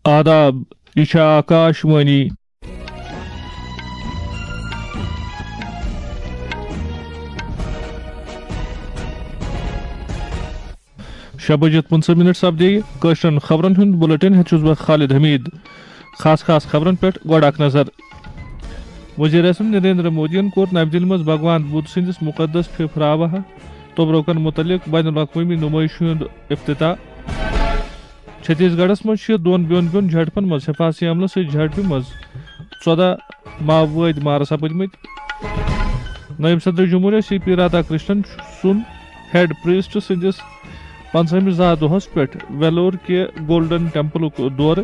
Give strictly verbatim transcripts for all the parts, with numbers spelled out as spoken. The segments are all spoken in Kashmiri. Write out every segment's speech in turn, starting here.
آداب، یہِ چھےٚ آکاش وانی۔ شےٚ بجے پٕنٛژٕہ منٹ سپدے کٲشرٮ۪ن خبرن ہُنٛد بُلٹن ہٮ۪تھ چھُس بہٕ خالد حمید۔ خاص خاص خبرن پٮ۪ٹھ گۄڈٕ اکھ نظر۔ وزیر اعظم نریندر مودیَن کوٚر نَوِ دِلہِ منٛز بھگوان بدھ سٕنٛدِس مُقدس پھِپھراوہ توٚبرُکن مُتعلق بین الاقوٲمی نُمٲیشہِ ہُنٛد افتتاح۔ چھتیس گڑھس منٛز چھِ دۄن بیوٚن بیوٚن جھڑپن منٛز حفاظتی عملہٕ سۭتۍ جھڑپہِ منٛز ژۄدہ ماوٲدۍ مارٕ سپٕدمٕتۍ۔ نٲیِب صدر جمہوریہ سی پی رادھا کرشنن سُنٛد ہیڈ پریسٹ سٕنٛدِس پنٛژاہمِس زاہ دۄہس پٮ۪ٹھ ویلور کہِ گولڈن ٹیمپلُک دورٕ۔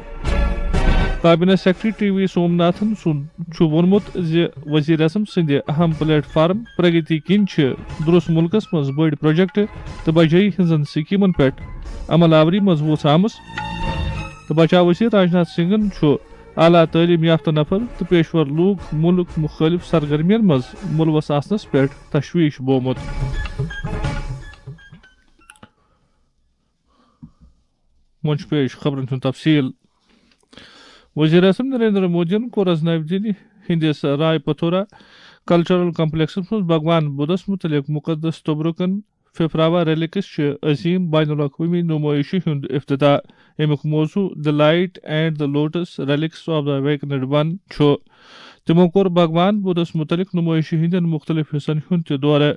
کابینہ سیکرٹری ٹی وی سوم ناتھن سُنٛد چھُ ووٚنمُت زِ وزیر اعظم سٕنٛدِ اہم پلیٹ فارم پرگتی کِنۍ چھِ درست مُلکس منٛز بٔڑۍ پروجیکٹ تہٕ بجٲیی ہٕنٛزن سکیمن پٮ۪ٹھ عمل آوری منٛز وُژھ آمٕژ تہٕ بچاو وزیر راجناتھ سنگھن چھُ اعلیٰ تعلیم یافتہٕ نفر تہٕ پیشور لوٗکھ مُلک مُختٔلِف سرگرمیَن منٛز مُلوث آسنَس پٮ۪ٹھ تشویش بومُت۔ وۄنۍ چھُ پیش خبرن ہُنٛد تفصیل۔ وزیر اعظم نریندر مودیَن کوٚر از نَوِ دِلہِ ہٕنٛدِس رائے پتھورا کلچرل کمپلیکسس منٛز بھگوان بدھس مُتعلق مُقدس توٚبرُکن پھِپھراوا ریلکس چھِ عظیم بین الاقوٲمی نُمٲیشہِ ہُنٛد افتتاح، ییٚمیُک موضوع The Light and the Lotus Relics of the Awakened One چھُ۔ تِمو کوٚر بھگوان بدھس مُتعلق نُمٲیشہِ ہٕنٛدٮ۪ن مُختٔلِف حصن ہُنٛد تہِ دورٕ۔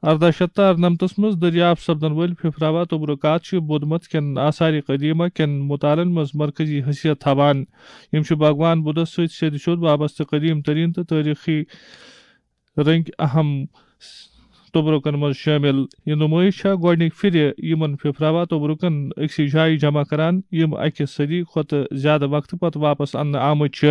ارداہ شیٚتھ تہٕ ارنمتس منٛز دٔریافت سپدن وٲلۍ پھِپھراوا توٚبرُکات چھِ بدھ مت کٮ۪ن آثار قدیمہ کٮ۪ن مطالعن منٛز مرکزی حیثیت تھاوان۔ یِم چھِ بھگوان بدھس سۭتۍ سیٚدِ سیوٚد وابستہٕ قدیم ترین تہٕ تٲریخی رنگ اہم توٚبرُکن منٛز شٲمِل۔ یہِ نُمٲیش چھےٚ گۄڈٕنِکۍ پھِرِ یِمن پھِپھراوا توٚبرُکن أکسٕے جایہِ جمع کران، یِم اَکہِ صدی کھۄتہٕ زیادٕ وقتہٕ پتہٕ واپس اننہٕ آمٕتۍ چھِ۔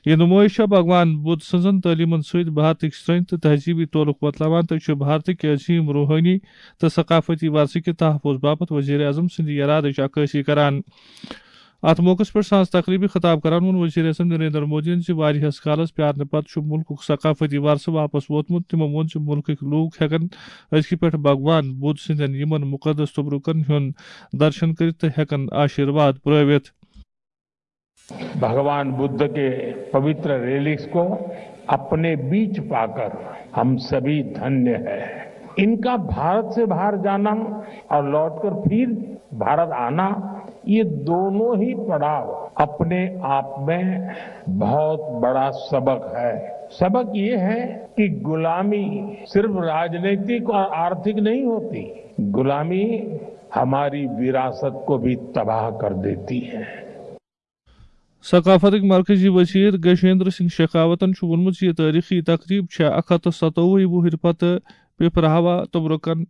یہِ نُمٲیش چھےٚ بھگوان بدھ سٕنٛزن تعلیمن سۭتۍ بھارتٕکۍ سرٛنۍ تہٕ تہذیٖبی تعلق وۄتلاوان تہٕ چھِ بھارتٕکۍ عظیٖم روحٲنی تہٕ ثقافتی ورثہٕ کہِ تحفظ باپتھ وزیر اعظم سٕنٛدِ یرادٕچ عکٲسی کران۔ اتھ موقعس پٮ۪ٹھ سانز تقریبی خطاب کران ووٚن وزیر اعظم نریندر مودیَن زِ واریاہس کالس پیارنہٕ پتہٕ چھُ مُلکُک ثقافتی ورثہٕ واپس ووتمُت۔ تِمو ووٚن زِ مُلکٕکۍ لوٗکھ ہٮ۪کن أزکہِ پٮ۪ٹھ بھگوان بدھ سٕنٛدٮ۪ن یِمن مُقدس توٚبرُکن ہُنٛد درشن کٔرِتھ تہٕ ہٮ۪کن آشیرواد پرٲوِتھ۔ भगवान बुद्ध के पवित्र रेलिक्स को अपने बीच पाकर हम सभी धन्य हैं। इनका भारत से बाहर जाना और लौटकर फिर भारत आना, ये दोनों ही पड़ाव अपने आप में बहुत बड़ा सबक है। सबक ये है कि गुलामी सिर्फ राजनीतिक और आर्थिक नहीं होती, गुलामी हमारी विरासत को भी तबाह कर देती है। ثقافتٕکۍ مرکزی وزیر گجیندر سنگھ شیخاوتن چھُ ووٚنمُت زِ یہِ تٲریخی تقریب چھےٚ اکھ ہتھ تہٕ ستووُہ وُہٕرۍ پتہٕ پپراہوا توٚبرُکن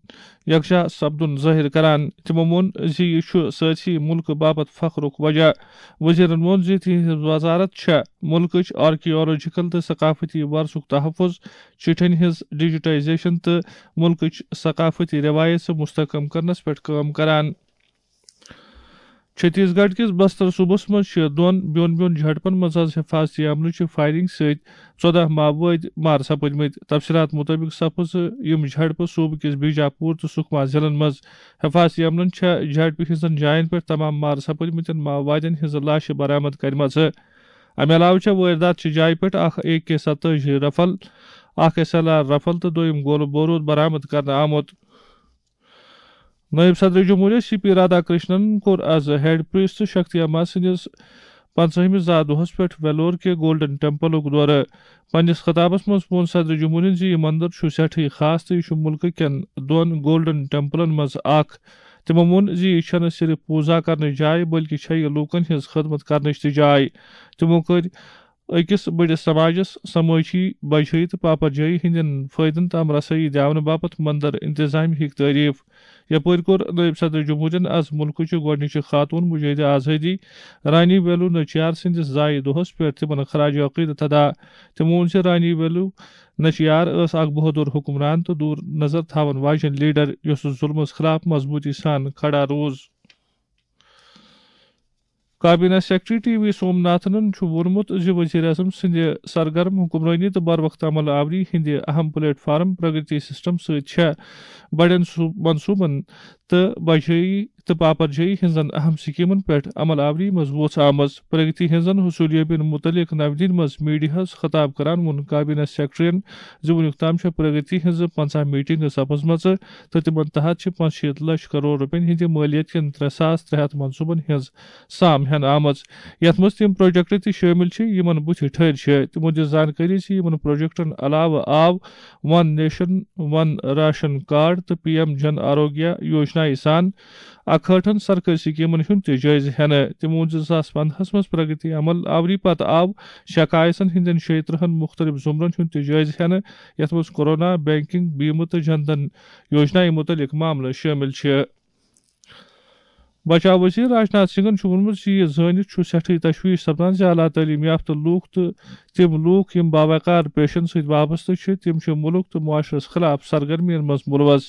یکجاہ سپدُن ظٲہِر کران۔ تِمو ووٚن زِ یہِ چھُ سٲرسٕے مُلکہٕ باپتھ فخرُک وجہ۔ وزیرن ووٚن زِ تِہنٛز وزارت چھےٚ مُلکٕچ آرکیالوجیکل تہٕ ثقافتی ورثُک تحفظ، چٹھٮ۪ن ہٕنٛز ڈیجیٹائزیشن تہٕ مُلکٕچ ثقافتی روایژ مستحکم کرنس پٮ۪ٹھ کٲم کران۔ چھتیس گڑھ کِس بستر صوبس منٛز چھِ دۄن بیوٚن بیوٚن جھڑپن منٛز از حفاظتی عملہٕ چہِ فائرنگ سۭتۍ ژۄدہ ماوٲدۍ مارٕ سپٕدمٕتۍ۔ تفصیلات مُطٲبِق سپٕژ یِم جھڑپہٕ صوبہٕ کِس بیجاپور تہٕ سکما ضلعن منٛز۔ حفاظتی عملن چھےٚ جھڑپہِ ہٕنٛزن جاین پٮ۪ٹھ تمام مارٕ سپٕدمٕتٮ۪ن ماوادین ہٕنٛزٕ لاشہِ برآمد کرِمژٕ۔ امہِ علاوٕ چھےٚ وٲردات چہِ جایہِ پٮ۪ٹھ اکھ اے کے ستٲجی رفل، اکھ ایس ایل آر رفل تہٕ دوٚیُم گولہٕ بوروٗد برآمد کرنہٕ آمُت۔ نٲیِب صدر جمہوریہ سی پی رادھا کرشنن کوٚر از ہیڈ پریسٹ شکتی اما سٕنٛدِس پنٛژاہمِس زا دۄہس پٮ۪ٹھ ویلور کہِ گولڈن ٹیمپلُک دورٕ۔ پننِس خطابس منٛز ووٚن صدر جمہوریہن زِ یہِ مندر چھُ سٮ۪ٹھٕے خاص تہٕ یہِ چھُ مُلکہٕ کٮ۪ن دۄن گولڈن ٹیمپلن منٛز اکھ۔ تِمو ووٚن زِ یہِ چھَنہٕ صرف پوٗزا کرنٕچ جاے، بلکہِ چھےٚ یہِ لوٗکن ہٕنٛز خدمت کرنٕچ تہِ جاے۔ تِمو کٔرۍ أکِس بٔڑِس سماجس سمٲجی بجٲیی تہٕ پاپرجٲیی ہٕنٛدٮ۪ن فٲیدن تام رسٲیی دِیاونہٕ باپتھ مندر انتظامیہ ہٕکۍ تعریف۔ یپٲرۍ کوٚر نٲیِب صدر جمہوریہن از مُلکٕچہِ گۄڈٕنِچہِ خاتوٗن مجاہدِ آزٲدی رانی ویلو نچیار سٕنٛدِس زایہِ دۄہس پٮ۪ٹھ تِمن خراج عقیدت ادا۔ تِمو ووٚن زِ رانی ویلو نچیار ٲس اکھ بہادُر حکمران تہٕ دوٗر نظر تھاون واجیٚنۍ لیڈر، یۄسہٕ ظُلمس خلاف مضبوٗطی سان کھڑا روٗز۔ کابینہ سیکرٹری ٹی وی سوم ناتھنن چھُ ووٚنمُت زِ وزیر اعظم سٕنٛدِ سرگرم حکمرٲنی تہٕ بروقت عمل آوری ہٕنٛدِ اہم پلیٹ فارم پرگتی سسٹم سۭتۍ چھےٚ بڑٮ۪ن صوب-، منصوبن تہٕ بجٲیی تہٕ پاپرجٲیی ہٕنٛزن اہم سکیمن پٮ۪ٹھ عمل آوری منٛز ووژھ آمٕژ۔ پرگتی ہٕنٛزن حصولیابین متعلق نو دِلہِ منٛز میڈیاہس خطاب کران ووٚن کابینہ سیکرٹریَن زِ وُنیُک تام چھےٚ پرگتی ہٕنٛزٕ پنٛژاہ میٹنگہٕ سپٕزمژٕ تہٕ تِمن تحت چھِ پانٛژھ شیٖتھ لچھ کرور رۄپین ہٕنٛدِ مٲلیت کٮ۪ن ترٛےٚ ساس ترٛےٚ ہتھ منصوٗبن ہٕنٛز سام ہٮ۪نہٕ آمٕژ، یتھ منٛز تِم پروجیکٹ تہِ شٲمِل چھِ، یِمن بُتھِ ٹھٔرۍ چھِ۔ تِمو دِژ زانکٲری زِ یِمن پروجیکٹن علاوٕ آو ون نیشن ون راشن کارڈ تہٕ پی ایم جن آروگیہ یوجنایہِ سان اکہٲٹھن سرکٲرۍ سکیمن ہُنٛد تہِ جٲیزٕ ہٮ۪نہٕ۔ تِمو ووٚن زِ زٕ ساس پنٛدہَس منٛز پرگتی عمل آوری پتہٕ آو شکایتن ہٕنٛدٮ۪ن شیٚیہِ ترٕٛہن مُختٔلِف زمرن ہُنٛد تہِ جٲیزٕ ہٮ۪نہٕ، یتھ منٛز کورونا، بینکنگ، بیمہٕ تہٕ جن دھن یوجنایہِ مُتعلق معاملہٕ شٲمِل چھِ۔ بچاو وزیر راج ناتھ سنگھن چھُ ووٚنمُت زِ یہِ زٲنِتھ چھُ سٮ۪ٹھٕے تشویش سپدان زِ اعلیٰ تعلیٖم یافتہٕ لوٗکھ تہٕ تِم لوٗکھ یِم باوقار پیشن سۭتۍ وابستہٕ چھِ، تِم چھِ مُلک تہٕ معاشرس خلاف سرگرمیَن منٛز مُلوث۔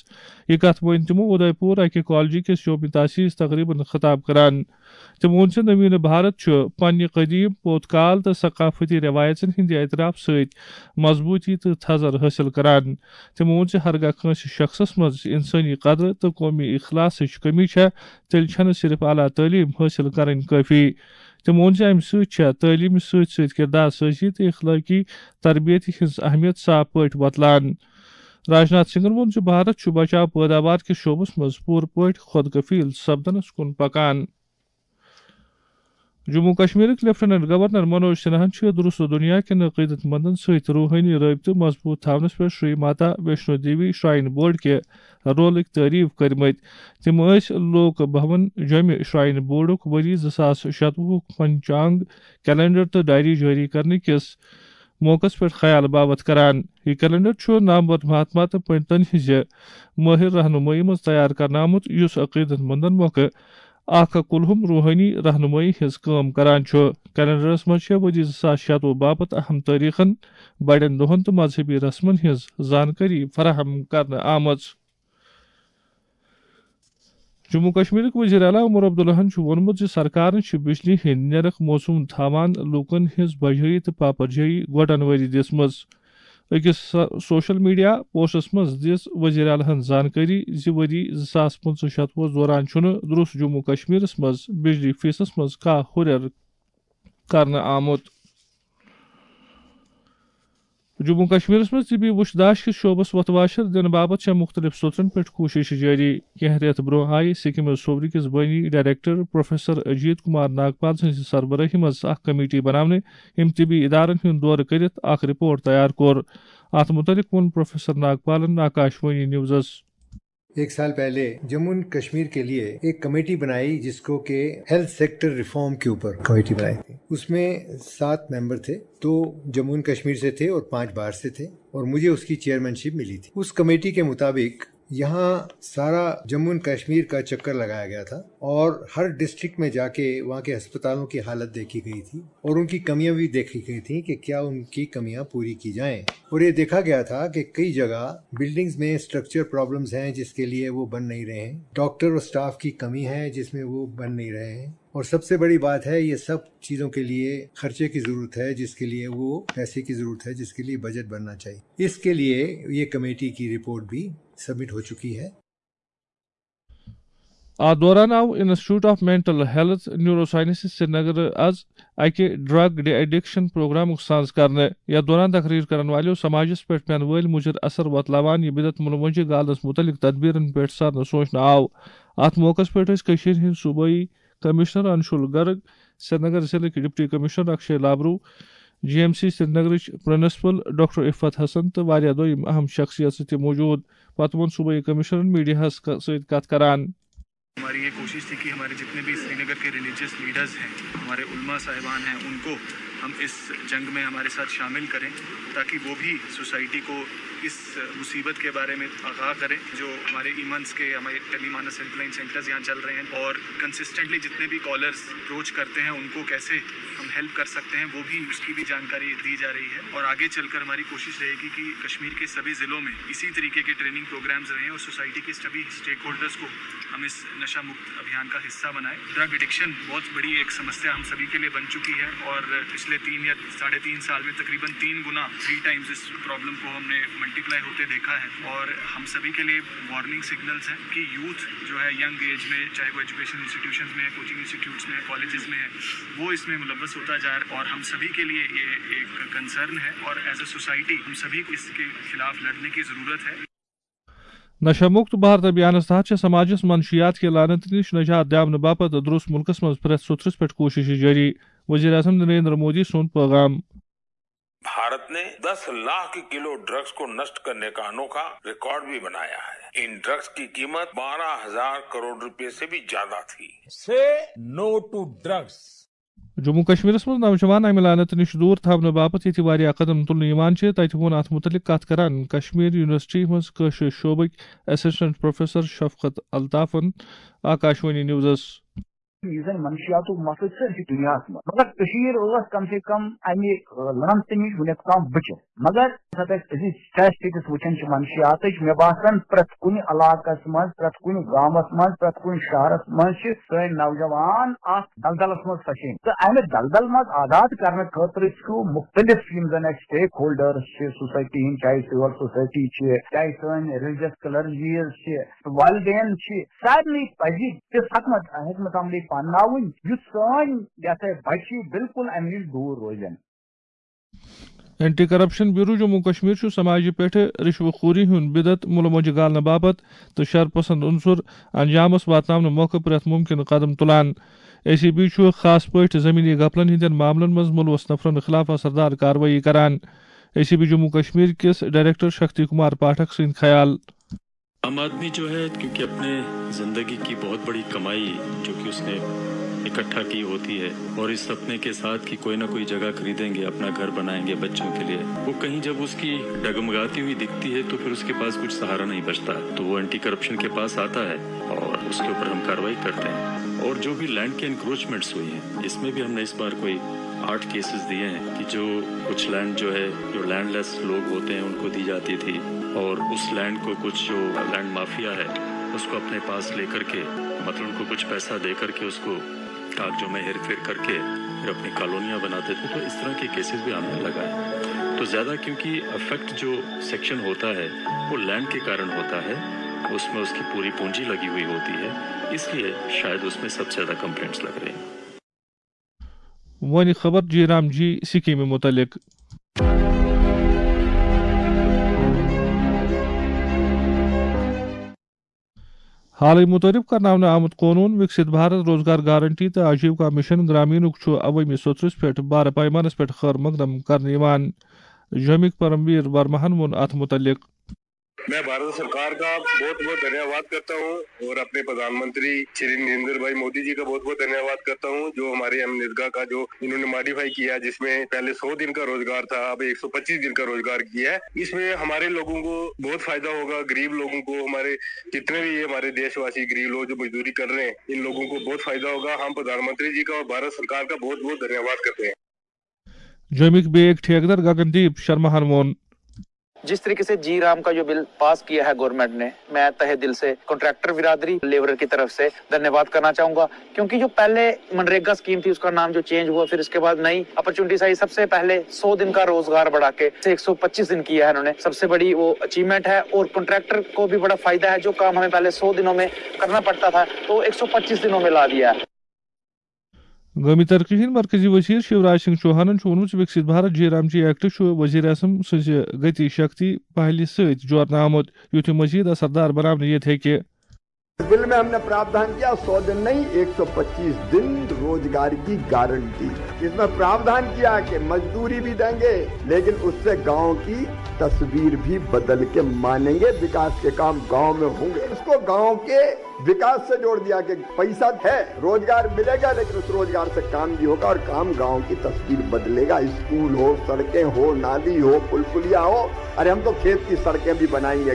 یہِ کَتھ ؤنۍ تِمو اُدے پوٗر اَکہِ کالجہِ کِس یومِ تاسیس تقریبن خطاب کران۔ تِمو ووٚن زِ نویٖن بھارت چھُ پننہِ قدیٖم، پوٚت کال تہٕ ثقافتی رٮ۪وایژن ہٕنٛدِ اعتراف سۭتۍ مضبوٗطی تہٕ تھزر حٲصِل کران۔ تِمو ووٚن زِ ہرگاہ کٲنٛسہِ شخصس منٛز انسٲنی قدر تہٕ قومی اخلاصٕچ کمی چھےٚ، تیٚلہِ چھَنہٕ صرف اعلیٰ تعلیٖم حٲصِل کرٕنۍ کٲفی۔ تِمو ووٚن زِ اَمہِ سۭتۍ چھےٚ تعلیٖمہِ سۭتۍ سۭتۍ کردار سٲزی تہٕ اخلٲقی تربیت ہٕنٛز اہمیت صاف پٲٹھۍ وۄتلان۔ راج ناتھ سنگھن ووٚن زِ بھارت چھُ بچاو پٲداوار کِس شعبس منٛز پوٗرٕ پٲٹھۍ خود کفیل سپدنس کُن پکان۔ جموں کشمیرٕکۍ لیفٹیننٹ گورنر منوج سنہاہن چھُ درست دنیا کٮ۪ن عقیدت مندن سۭتۍ روحٲنی رٲبطہٕ مضبوٗط تھاونس پٮ۪ٹھ شری ماتا ویشنو دیوی شراین بورڈ کہِ رولٕکۍ تعریف کٔرمٕتۍ۔ تِم ٲسۍ لوک بھون جوٚمہِ شراین بورڈُک ؤری زٕ ساس شتوُہُک پنچانگ کیلنڈر تہٕ ڈائری جٲری کرنہٕ کِس موقعس پٮ۪ٹھ خیال باوتھ کران۔ یہِ کیلنڈر چھُ نامور مہاتما تہٕ پنڈتن ہٕنٛزِ مٲہر رہنمٲیی منٛز تیار کرنہٕ آمُت، یُس عقیدت مندن مۄکھٕ اکھ کُلہُم روحٲنی رہنمٲیی ہٕنٛز کٲم کران چھُ۔ کیلنڈرس منٛز چھےٚ ؤری زٕ ساس شتوُہ باپتھ اہم تٲریخن، بڑٮ۪ن دۄہن تہٕ مذہبی رسمن ہٕنٛز زانکٲری فراہم کرنہٕ آمٕژ۔ جموں کشمیرٕکۍ وزیر اعلیٰ عمر عبداللہن چھُ ووٚنمُت زِ سرکارن چھِ بجلی ہٕنٛدۍ نرخ موسوم تھاوان لوٗکن ہٕنٛز بجٲیی تہٕ پاپرجٲیی گۄڈن ؤری دِژمٕژ۔ أکِس سو-، سوشل میڈیا پوسٹس منٛز دِژ وزیر اعلیٰ ہن زانکٲری زِ ؤری زٕ ساس پٕنٛژٕہ شتوُہس دوران چھُنہٕ درست جموں کشمیرس منٛز بجلی فیسس منٛز کانٛہہ ہُرٮ۪ر کرنہٕ آمُت۔ جموں کشمیرس منٛز طبی وُچھ داش کِس شعبس وۄتھٕ واشر دِنہٕ باپتھ چھےٚ مُختٔلِف سوٚژن پٮ۪ٹھ کوٗشش جٲری۔ کینٛہہ رٮ۪تھ برٛونٛہہ آیہِ سکمز صوبرٕ کِس بٲنی ڈائریکٹر پروفیسر اجیت کمار ناگپال سٕنٛزِ سربرٲہی منٛز اکھ کمیٹی بناونہٕ، ییٚمۍ طبی ادارن ہُنٛد دورٕ کٔرِتھ اکھ رپورٹ تیار کوٚر۔ اتھ مُتعلق ووٚن پروفیسر ناگپالن آکاش وانی نیوزس۔ ایک سال پہلے جموں اینڈ کشمیر کے لیے ایک کمیٹی بنائی، جس کو کہ ہیلتھ سیکٹر ریفارم کے اوپر کمیٹی بنائی تھی۔ اس میں سات ممبر تھے، دو جموں اینڈ کشمیر سے تھے اور پانچ باہر سے تھے، اور مجھے اس کی چیئرمین شپ ملی تھی۔ اس کمیٹی کے مطابق یہاں سارا جموں اینڈ کشمیر کا چکر لگایا گیا تھا اور ہر ڈسٹرکٹ میں جا کے وہاں کے ہسپتالوں کی حالت دیکھی گئی تھی اور ان کی کمیاں بھی دیکھی گئی تھیں کہ کیا ان کی کمیاں پوری کی جائیں۔ اور یہ دیکھا گیا تھا کہ کئی جگہ بلڈنگز میں اسٹرکچر پرابلمز ہیں، جس کے لیے وہ بن نہیں رہے ہیں، ڈاکٹر اور اسٹاف کی کمی ہے، جس میں وہ بن نہیں رہے ہیں، اور سب سے بڑی بات ہے، یہ سب چیزوں کے لیے خرچے کی ضرورت ہے، جس کے لیے وہ پیسے کی ضرورت ہے، جس کے لیے بجٹ بننا چاہیے۔ اس کے لیے یہ کمیٹی کی رپورٹ بھی سبمٹ ہو چکی ہے۔ اتھ دوران آو institute of mental health neurosciences Srinagar از اکہِ ڈرگ ڈی ایڈکشن پروگرامُک سانز کرنہٕ۔ یتھ دوران تقریر کرن والٮ۪و سماجس پٮ۪ٹھ پینہٕ وٲلۍ مُضر اثر وۄتلاوان یہِ بدعت منوجہ گالنس مُتعلق تدبیرن پٮ۪ٹھ سرنہٕ سوچنہٕ آو۔ اتھ موقعس پٮ۪ٹھ ٲسۍ کٔشیٖرِ ہٕنٛدۍ صوبٲئی کمشنر انشول گرگ، سرینگر ضلعٕکۍ deputy commissioner Akshay Labroo, G M C سرینگرٕچ پرنسپل ڈاکٹر عفت حسن تہٕ واریاہ دوٚیم اہم شخصیژٕ تہِ موجود۔ پتہٕ ووٚن صوبٲئی کمشنرن میڈیاہس ک-، سۭتۍ کتھ کران۔ ہماری یہ کوشش تھی کہ ہمارے جتنے بھی سری نگر کے ریلیجیس لیڈرز ہیں، ہمارے علماء صاحبان ہیں، ان کو ہم اس جنگ میں ہمارے ساتھ شامل کریں، تاکہ وہ بھی سوسائٹی کو اس مصیبت کے بارے میں آگاہ کریں۔ جو ہمارے ایمنس کے، ہمارے ٹیلی مانس ہیلپ لائن سینٹرز یہاں چل رہے ہیں، اور کنسسٹنٹلی جتنے بھی کالرز اپروچ کرتے ہیں، ان کو کیسے ہم ہیلپ کر سکتے ہیں، وہ بھی، اس کی بھی جانکاری دی جا رہی ہے۔ اور آگے چل کر ہماری کوشش رہے گی کہ کشمیر کے سبھی ضلعوں میں اسی طریقے کے ٹریننگ پروگرامز رہیں اور سوسائٹی کے سبھی اسٹیک ہولڈرز کو ہم اس نشہ مکت ابھیان کا حصہ بنائیں۔ ڈرگ ایڈکشن بہت بڑی ایک سمسیا ہم سبھی کے لیے بن چکی ہے، اور پچھلے تین یا ساڑھے تین سال میں تقریباً تین گنا، تھری ٹائمز، اس پرابلم کو ہم نے मल्टीप्लाई होते देखा है और हम सभी के लिए वार्निंग सिग्नल्स हैं कि यूथ जो है यंग एज में, चाहे वो एजुकेशन इंस्टीट्यूशंस में है, कोचिंग इंस्टीट्यूट्स में है, कॉलेजेस में है, वो इसमें मुलव्वस होता जा रहा है और हम सभी के लिए ये एक कंसर्न है और एज अ सोसाइटी हम सभी को इसके खिलाफ लड़ने की ज़रूरत है। نشہ مکت بھارت ابھیانس تحت چھِ سماجس منشیات کہِ لعنت نِش نجات دِنہٕ باپتھ درٛوس مُلکس منٛز پرٛٮ۪تھ سوٚتھرِس پٮ۪ٹھ کوٗششہِ جٲری۔ وزیر اعظم نریندر مودی سُنٛد پیغام۔ भारत ने दस लाख किलो ड्रग्स को नष्ट करने का अनोखा रिकॉर्ड भी बनाया है। इन ड्रग्स की कीमत बारह हजार करोड़ रुपए से भी ज्यादा थी। Say no to drugs. Jammu کشمیرس منٛز نوجوان امہِ لعنت نِش دوٗر تھاونہٕ باپتھ ییٚتہِ واریاہ قدم تُلنہٕ یِوان چھِ، تتہِ ووٚن اتھ مُتعلق کتھ کران کشمیر یونیورسٹی منٛز کٲشرِ شعبٕکۍ اسسٹنٹ پروفیسر شفقت الطافن آکاشوانی نیوزس۔ یُس زن منشیاتُک مسلہٕ چھُ، یہِ چھُ دُنیاہس منٛز، مگر کٔشیٖر ٲس کم سے کم امہِ لعنتہٕ نِش وُنیُک تام بٔچِتھ۔ مگر ییٚمہِ ساتہٕ اَسہِ أزِچ سٹیٹسٹکس وٕچھان چھِ منشیاتٕچ، مےٚ باسان پرٛٮ۪تھ کُنہِ علاقس منٛز، پرٛٮ۪تھ کُنہِ گامس منٛز، پرٛٮ۪تھ کُنہِ شہرس منٛز چھِ سٲنۍ نوجوان اتھ دلدلس منٛز پھسے۔ تہٕ امہِ دلدل منٛز آزاد کرنہٕ خٲطرٕ چھُ مُختٔلِف یِم زن اَسہِ سٹیک ہولڈرس چھِ، سوسایٹی ہٕنٛدۍ، چاہے سول سوسایٹی چھِ، چاہے سٲنۍ ریلیجس کلرجیز چھِ، والدین چھِ، سارنٕے پزِ تِژھ حکمت حکمت عملی پنناوٕنۍ یُتھ سٲنۍ یہِ ہسا بچہِ بالکل امہِ نِش دوٗر روزن۔ Anti corruption bureau Jammu Kashmir چھُ سماجہِ پٮ۪ٹھ رشوٕ خوری ہُنٛد بدعت مُلہٕ مۄنجہِ گالنہٕ باپتھ تہٕ شر پسند عنصر انجامس واتناونہٕ مۄکھٕ پرٛٮ۪تھ مُمکِن قدم تُلان۔ اے سی بی چھُ خاص پٲٹھۍ زمینی غفلن ہٕنٛدٮ۪ن معاملن منٛز مُلوث نفرن خلاف اثردار کاروٲیی کران۔ A C B Jammu Kashmir کِس ڈائریکٹر شکتی کمار پاٹھک سٕنٛدۍ خیال۔ आम आदमी जो है, क्योंकि अपने जिंदगी की बहुत बड़ी कमाई जो कि उसने इकट्ठा की होती है और इस सपने के साथ कि कोई ना कोई जगह खरीदेंगे, अपना घर बनाएंगे बच्चों के लिए, वो कहीं जब उसकी डगमगाती हुई दिखती है तो फिर उसके पास कुछ सहारा नहीं बचता। तो वो एंटी करप्शन के पास आता है और उसके ऊपर हम कार्रवाई करते हैं। और जो भी लैंड के एनक्रोचमेंट्स हुई हैं, इसमें भी हमने इस बार कोई आठ केसेस दिए हैं कि जो कुछ लैंड जो है, जो लैंडलेस लोग होते हैं, उनको दी जाती थी और उस लैंड को कुछ जो लैंड माफिया है, उसको अपने पास लेकर के, मतलब उनको कुछ पैसा दे करके उसको कागजों में हेरफेर करके फिर अपनी कॉलोनियां बनाते थे। तो इस तरह के केसेस भी हमने लगाए। तो ज़्यादा क्योंकि अफेक्ट जो सेक्शन होता है वो लैंड के कारण होता है, उसमें उसकी पूरी पूंजी लगी हुई होती है, इसलिए शायद उसमें सबसे ज़्यादा कंप्लेंट्स लग रही हैं। وۄنۍ خبر جی رام جی سکیمہِ متعلق۔ حالٕے متعارف کرناونہٕ آمُت قونوٗن وِکسِت بھارت روزگار گارنٹی تہٕ آجیوکا مشن گرامینُک چھُ عوٲمی سوٚتھرِس پٮ۪ٹھ بارٕ پیمانس پٮ۪ٹھ خٲر مقدم کرنہٕ یِوان۔ جوٚمِکۍ پرمویر ورماہن ووٚن اتھ متعلق۔ मैं भारत सरकार का बहुत बहुत धन्यवाद करता हूँ और अपने प्रधानमंत्री श्री नरेंद्र भाई मोदी जी का बहुत बहुत धन्यवाद करता हूँ, जो हमारे एमनरेगा का जो इन्होंने मॉडिफाई किया है, जिसमें पहले सौ दिन का रोजगार था, अब एक सौ पच्चीस दिन का रोजगार किया है। इसमें हमारे लोगों को बहुत फायदा होगा, गरीब लोगों को, हमारे जितने भी हमारे देशवासी गरीब लोग जो मजदूरी कर रहे हैं, इन लोगों को बहुत फायदा होगा। हम प्रधानमंत्री जी का और भारत सरकार का बहुत बहुत धन्यवाद करते हैं। جوٚمِکۍ بیٚیہِ أکۍ ٹھیکہٕ در گگن دیپ شرماہن ووٚن۔ जिस तरीके से जी राम का जो बिल पास किया है गवर्नमेंट ने, मैं तहे दिल से कॉन्ट्रैक्टर बिरादरी, लेबरर की तरफ से धन्यवाद करना चाहूंगा, क्योंकि जो पहले मनरेगा स्कीम थी, उसका नाम जो चेंज हुआ, फिर इसके बाद नई अपॉर्चुनिटीज आई। सबसे पहले सौ दिन का रोजगार बढ़ा के एक सौ पच्चीस दिन किया है इन्होंने, सबसे बड़ी वो अचीवमेंट है। और कॉन्ट्रैक्टर को भी बड़ा फायदा है, जो काम हमें पहले सौ दिनों में करना पड़ता था, तो एक सौ पच्चीस दिनों में ला दिया है। قومی ترقی ہٕنٛدۍ مرکزی وزیر شیوراج سنگھ چوہانن چھُ ووٚنمُت زِ وِکسِت بھارت جی رام جی ایکٹ چھُ وزیر اعظم سٕنٛزِ گتی شکتی پہلہِ سۭتۍ جوڑنہٕ آمُت، یُتھ یہِ مزید اثردار بناونہٕ یِتھ ہیٚکہِ۔ بل میں ہم نے پراوڈھان کیا سو دن نہیں، ایک سو پچیس دن روزگار کی گارنٹی۔ اس میں پراوڈھان کیا کہ مزدوری بھی دیں گے، لیکن اس سے گاؤں کی تصویر بھی بدل کے مانیں گے، وکاس کے کام گاؤں میں ہوں گے۔ اس کو گاؤں کے وکاس سے جوڑ دیا کہ پیسہ ہے، روزگار ملے گا، لیکن اس روزگار سے کام بھی ہوگا اور کام گاؤں کی تصویر بدلے گا۔ اسکول ہو، سڑکیں ہو، نالی ہو، پل پلیا ہو، ارے ہم تو کھیت کی سڑکیں بھی بنائیں گے۔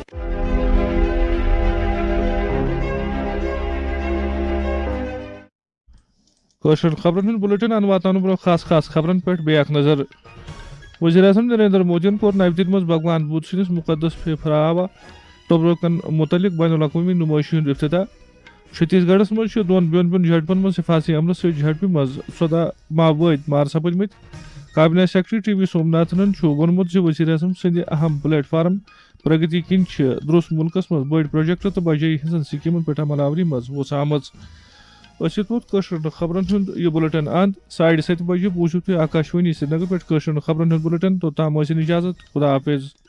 کٲشرٮ۪ن خبرن ہُنٛد بُلٹن اَنہٕ واتناونہٕ برٛونٛہہ خاص خاص خبرن پٮ۪ٹھ بیٚیہِ اکھ نظر۔ وزیر اعظم نریندر مودیَن کوٚر نَوِ دِلہِ منٛز بھگوان بدھ سٕنٛدِس مُقدس پھیپھراوا تبرکن مُتعلق بین الاقوٲمی نُمٲیشہِ ہُنٛد افتتاح۔ چھتیس گڑھس منٛز چھِ دۄن بیوٚن بیوٚن جھڑپن منٛز حفاظتی عملہٕ سۭتۍ جھڑپہِ منٛز ژۄداہ ماوٲدۍ مارٕ سپٕدمٕتۍ۔ کابینہ سیکرٹری ٹی وی سوم ناتھنن چھُ ووٚنمُت زِ وزیر اعظم سٕنٛدِ اہم پلیٹ فارم پرگتی کِنۍ چھِ درست مُلکَس منٛز بٔڑۍ پروجیکٹ تہٕ بجٲیی ہٕنٛزن سکیمن پٮ۪ٹھ عمل آوری منٛز وُژھ آمٕژ۔ أسۍ یوت ووت کٲشرٮ۪ن خبرن ہُنٛد یہِ بُلٹن اند۔ ساڑِ ستہِ بجہِ بوٗزِو تُہۍ آکاشوانی سرینگر پٮ۪ٹھ کٲشرٮ۪ن خبرن ہُنٛد بُلٹن۔ توٚتام ٲسِن اجازت۔ خدا حافظ۔